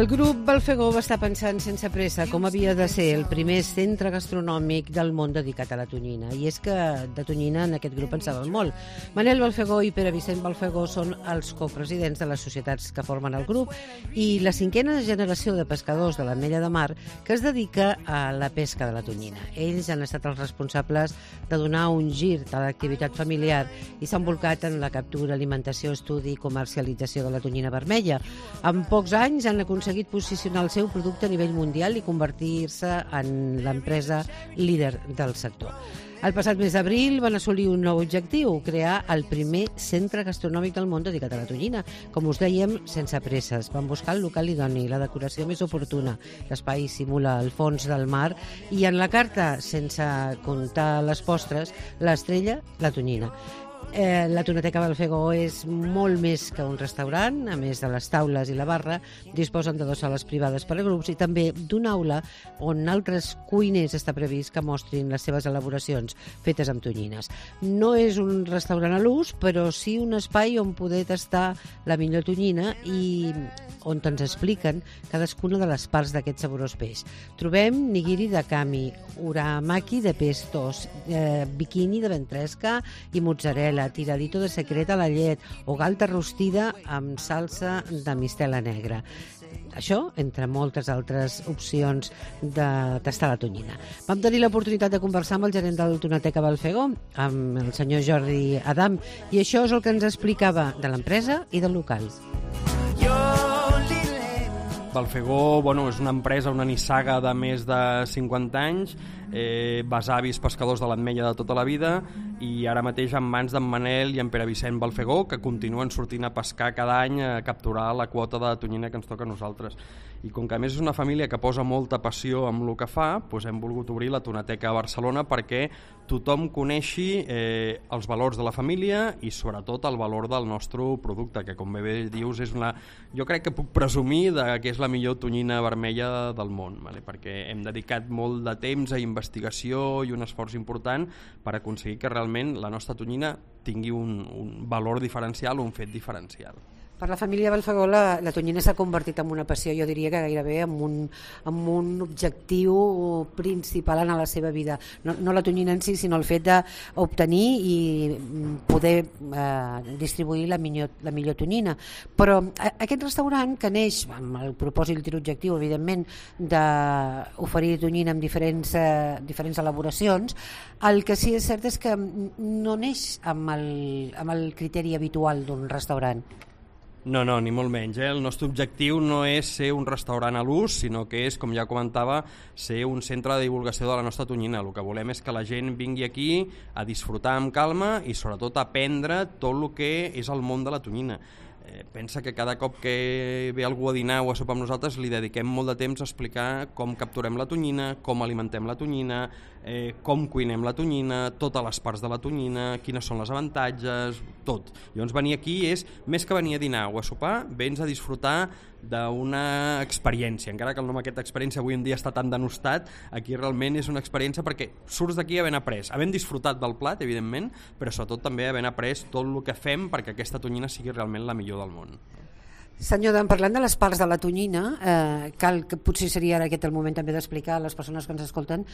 El grup Balfegó va estar pensant sense pressa com havia de ser el primer centre gastronòmic del món dedicat a la tonyina. I és que de tonyina en aquest grup en saben molt. Manel Balfegó i Pere Vicent Balfegó són els copresidents de les societats que formen el grup i la cinquena generació de pescadors de l'Ametlla de Mar que es dedica a la pesca de la tonyina. Ells han estat els responsables de donar un gir a l'activitat familiar i s'han volcat en la captura, alimentació, estudi i comercialització de la tonyina vermella. En pocs anys han aconseguit posicionar el seu producte a nivell mundial i convertir-se en l'empresa líder del sector. El passat mes d'abril van assolir un nou objectiu, crear el primer centre gastronòmic del món dedicat a la tonyina. Com us dèiem, sense presses. Van buscar el local idoni, la decoració més oportuna. L'espai simula el fons del mar i en la carta, sense comptar les postres, l'estrella, la tonyina. La Tonateca Balfegó és molt més que un restaurant. A més de les taules i la barra, disposen de 2 sales privades per a grups i també d'una aula on altres cuiners està previst que mostrin les seves elaboracions fetes amb tonyines. No és un restaurant a l'ús, però sí un espai on poder tastar la millor tonyina i on ens expliquen cadascuna de les parts d'aquest saborós peix. Trobem nigiri de kami, uramaki de pestos, bikini de ventresca i mozzarella, tiradito de secret a la llet o galta rostida amb salsa de mistela negra. Això, entre moltes altres opcions de tastar la tonyina. Vam tenir l'oportunitat de conversar amb el gerent del Tonateca Balfegó, amb el senyor Jordi Adam, i això és el que ens explicava de l'empresa i del local. Balfegó és una empresa, una nissaga de més de 50 anys, besavis pescadors de l'Ametlla de tota la vida i ara mateix en mans d'en Manel i en Pere Vicent Balfegó, que continuen sortint a pescar cada any a capturar la quota de tonyina que ens toca a nosaltres. I com que a més és una família que posa molta passió amb el que fa, doncs hem volgut obrir la Tonateca a Barcelona perquè tothom coneixi els valors de la família i sobretot el valor del nostre producte, que com bé dius jo crec que puc presumir que és la millor tonyina vermella del món, perquè hem dedicat molt de temps a investigació i un esforç important per aconseguir que realment la nostra tonyina tingui un valor diferencial, un fet diferencial. Per la família Balfegó la tonyina s'ha convertit en una passió, jo diria que gairebé en un objectiu principal en la seva vida. No la tonyina en si, sinó el fet d'obtenir i poder distribuir la millor tonyina. Però aquest restaurant, que neix amb el propòsit i l'objectiu, evidentment, d'oferir tonyina amb diferents elaboracions, el que sí és cert és que no neix amb el criteri habitual d'un restaurant. No, ni molt menys. El nostre objectiu no és ser un restaurant a l'ús, sinó que és, com ja comentava, ser un centre de divulgació de la nostra tonyina. El que volem és que la gent vingui aquí a disfrutar amb calma i sobretot a aprendre tot el que és el món de la tonyina. Pensa que cada cop que ve algú a dinar o a sopar amb nosaltres li dediquem molt de temps a explicar com capturem la tonyina, com alimentem la tonyina, com cuinem la tonyina, totes les parts de la tonyina, quines són les avantatges, tot. Llavors venir aquí és, més que venir a dinar o a sopar, vens a disfrutar d'una experiència, encara que el nom d'aquesta experiència avui en dia està tan denostat, aquí realment és una experiència perquè surts d'aquí havent après, havent disfrutat del plat, evidentment, però sobretot també havent après tot el que fem perquè aquesta tonyina sigui realment la millor del món. Senyor Dan, parlant de les parts de la tonyina, que potser seria ara aquest el moment també d'explicar a les persones que ens escolten,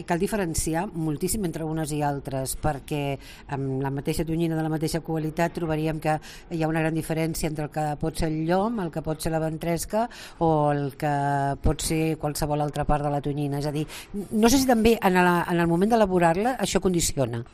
cal diferenciar moltíssim entre unes i altres, perquè amb la mateixa tonyina de la mateixa qualitat trobaríem que hi ha una gran diferència entre el que pot ser el llom, el que pot ser la ventresca o el que pot ser qualsevol altra part de la tonyina. És a dir, no sé si també en el moment d'elaborar-la això condiciona.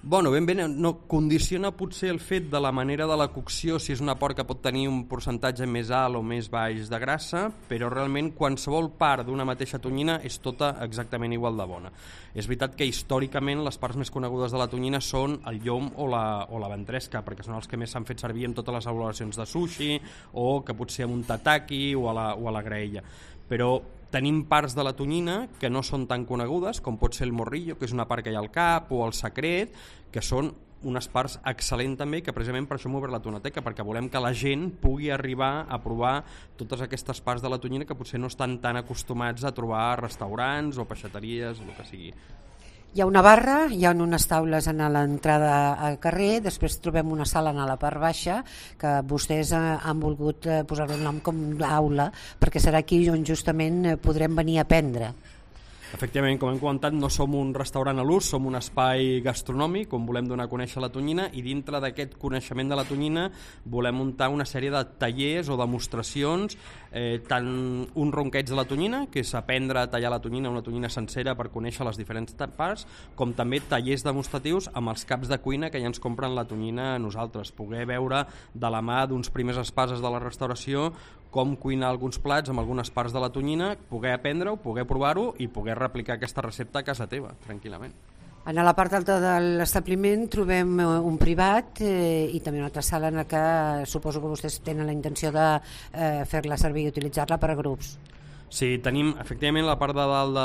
Ben bé, no condiciona potser el fet de la manera de la cocció, si és una part que pot tenir un percentatge més alt o més baix de grassa, però realment qualsevol part d'una mateixa tonyina és tota exactament igual de bona. És veritat que històricament les parts més conegudes de la tonyina són el llom o la ventresca, perquè són els que més s'han fet servir en totes les elaboracions de sushi o que potser amb un tataki o a la graella. Però tenim parts de la tonyina que no són tan conegudes, com pot ser el morrillo, que és una part que hi ha al cap, o el secret, que són unes parts excel·lents també, que precisament per això hem obert la Tonateca, perquè volem que la gent pugui arribar a provar totes aquestes parts de la tonyina que potser no estan tan acostumats a trobar a restaurants o peixateries o el que sigui. Hi ha una barra, hi ha unes taules a l'entrada al carrer, després trobem una sala a la part baixa que vostès han volgut posar el nom com d'aula, perquè serà aquí on justament podrem venir a aprendre. Efectivament, com hem comentat, no som un restaurant a l'ús, som un espai gastronòmic on volem donar a conèixer la tonyina, i dintre d'aquest coneixement de la tonyina volem muntar una sèrie de tallers o demostracions, tant un ronqueig de la tonyina, que és aprendre a tallar la tonyina, una tonyina sencera, per conèixer les diferents parts, com també tallers demostratius amb els caps de cuina que ja ens compren la tonyina a nosaltres, poder veure de la mà d'uns primers espases de la restauració com cuinar alguns plats amb algunes parts de la tonyina, poder aprendre-ho, poder provar-ho i poder replicar aquesta recepta a casa teva, tranquil·lament. A la part alta de l'establiment trobem un privat i també una altra sala en la que suposo que vostès tenen la intenció de fer-la servir i utilitzar-la per a grups. Sí, tenim, efectivament, a la part de dalt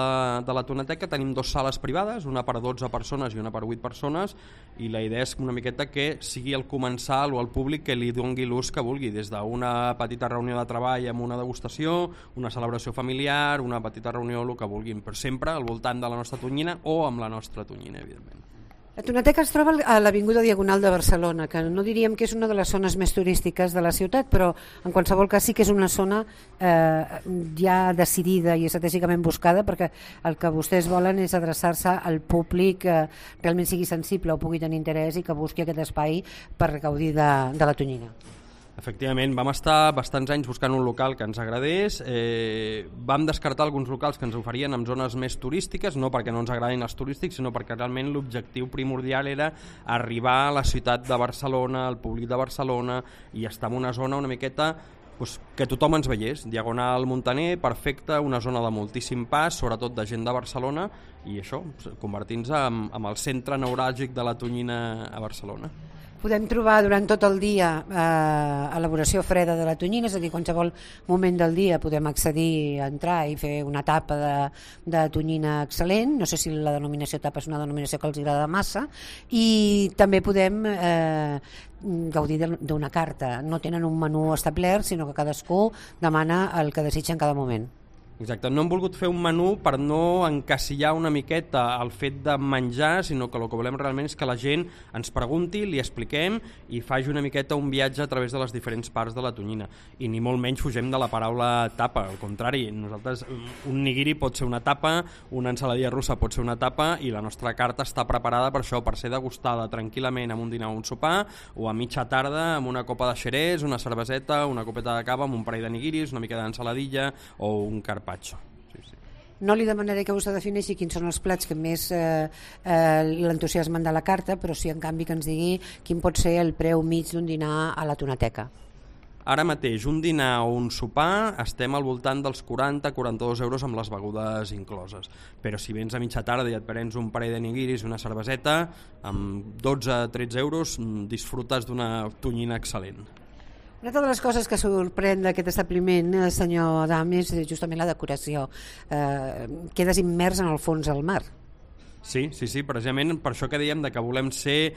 de la toneteca tenim 2 sales privades, una per 12 persones i una per 8 persones, i la idea és una miqueta que sigui el comensal o el públic que li doni l'ús que vulgui, des d'una petita reunió de treball amb una degustació, una celebració familiar, una petita reunió, el que vulguin, però sempre al voltant de la nostra tonyina o amb la nostra tonyina, evidentment. La Toneteca es troba a l'Avinguda Diagonal de Barcelona, que no diríem que és una de les zones més turístiques de la ciutat, però en qualsevol cas sí que és una zona ja decidida i estratègicament buscada, perquè el que vostès volen és adreçar-se al públic que realment sigui sensible o pugui tenir interès i que busqui aquest espai per gaudir de la tonyina. Efectivament, vam estar bastants anys buscant un local que ens agradés, vam descartar alguns locals que ens oferien en zones més turístiques, no perquè no ens agradin els turístics, sinó perquè realment l'objectiu primordial era arribar a la ciutat de Barcelona, al públic de Barcelona, i estar en una zona una miqueta que tothom ens veiés, Diagonal Muntaner, perfecte, una zona de moltíssim pas, sobretot de gent de Barcelona, i això, convertint-se en el centre neuràlgic de la tonyina a Barcelona. Podem trobar durant tot el dia elaboració freda de la tonyina, és a dir, qualsevol moment del dia podem accedir a entrar i fer una tapa de tonyina excel·lent, no sé si la denominació tapa és una denominació que els agrada massa, i també podem gaudir d'una carta, no tenen un menú establert, sinó que cadascú demana el que desitja en cada moment. Exacte, no hem volgut fer un menú per no encasillar una miqueta el fet de menjar, sinó que el que volem realment és que la gent ens pregunti, li expliquem i faci una miqueta un viatge a través de les diferents parts de la tonyina. I ni molt menys fugem de la paraula tapa, al contrari, nosaltres un nigiri pot ser una tapa, una ensaladilla russa pot ser una tapa, i la nostra carta està preparada per això, per ser degustada tranquil·lament amb un dinar o un sopar, o a mitja tarda amb una copa de xerès, una cerveseta, una copeta de cava amb un parell de nigiris, una mica d'ensaladilla o un carpaccio. Sí, sí. No li demanaré que vostè defineixi quins són els plats que més l'entusiasmen de la carta, però sí en canvi que ens digui quin pot ser el preu mig d'un dinar a la Toneteca. Ara mateix un dinar o un sopar estem al voltant dels 40-42 euros amb les begudes incloses, però si vens a mitja tarda i et prens un parell de nigiris i una cerveseta, amb 12-13 euros disfrutes d'una tonyina excel·lent. Una de les coses que sorprèn d'aquest establiment, senyor Adam, és justament la decoració. Quedes immers en el fons del mar. Sí, precisament per això que dèiem que volem ser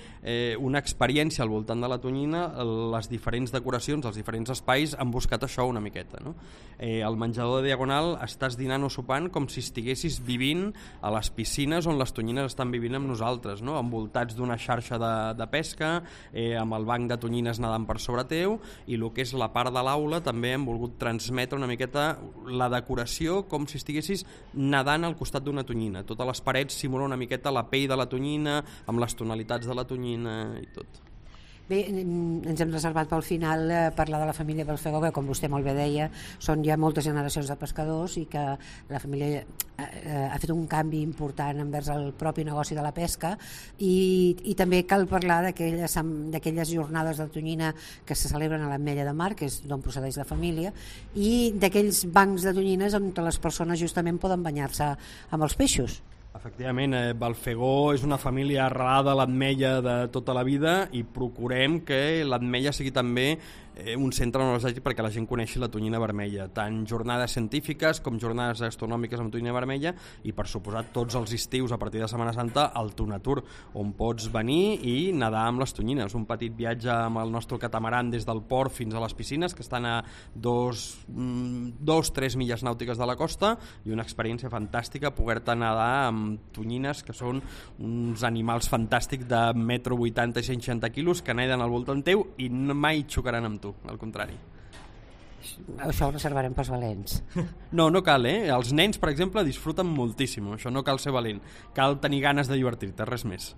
una experiència al voltant de la tonyina, les diferents decoracions, els diferents espais han buscat això una miqueta, no? Al menjador de Diagonal estàs dinant o sopant com si estiguessis vivint a les piscines on les tonyines estan vivint amb nosaltres, no? Envoltats d'una xarxa de pesca, amb el banc de tonyines nedant per sobre teu, i el que és la part de l'aula també hem volgut transmetre una miqueta la decoració com si estiguessis nedant al costat d'una tonyina. Totes les parets simulen una miqueta la pell de la tonyina, amb les tonalitats de la tonyina i tot. Bé, ens hem reservat pel final parlar de la família Balfegó, que com vostè molt bé deia, són ja moltes generacions de pescadors i que la família ha fet un canvi important envers el propi negoci de la pesca, i també cal parlar d'aquelles jornades de tonyina que se celebren a l'Ametlla de Mar, que és d'on procedeix la família, i d'aquells bancs de tonyines on les persones justament poden banyar-se amb els peixos. Efectivament, Balfegó és una família arrelada a l'Ametlla de tota la vida, i procurem que l'Ametlla sigui també un centre tecnològic perquè la gent coneixi la tonyina vermella, tant jornades científiques com jornades gastronòmiques amb tonyina vermella i per suposat tots els estius a partir de Setmana Santa el Tonatur, on pots venir i nedar amb les tonyines, un petit viatge amb el nostre catamaran des del port fins a les piscines que estan a 2-3 milles nàutiques de la costa i una experiència fantàstica poder-te nedar amb tonyines que són uns animals fantàstics de 1,80 m i 160 quilos que neden al voltant teu i mai xocaran amb tu, al contrari. Això ho reservarem pels valents. No cal, Els nens, per exemple, disfruten moltíssim. Això no cal ser valent. Cal tenir ganes de divertir-te, res més.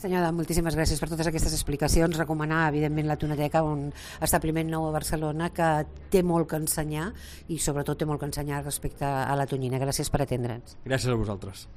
Senyora, moltíssimes gràcies per totes aquestes explicacions. Recomanar, evidentment, la Toneteca, un establiment nou a Barcelona que té molt que ensenyar i sobretot té molt que ensenyar respecte a la tonyina. Gràcies per atendre'ns. Gràcies a vosaltres.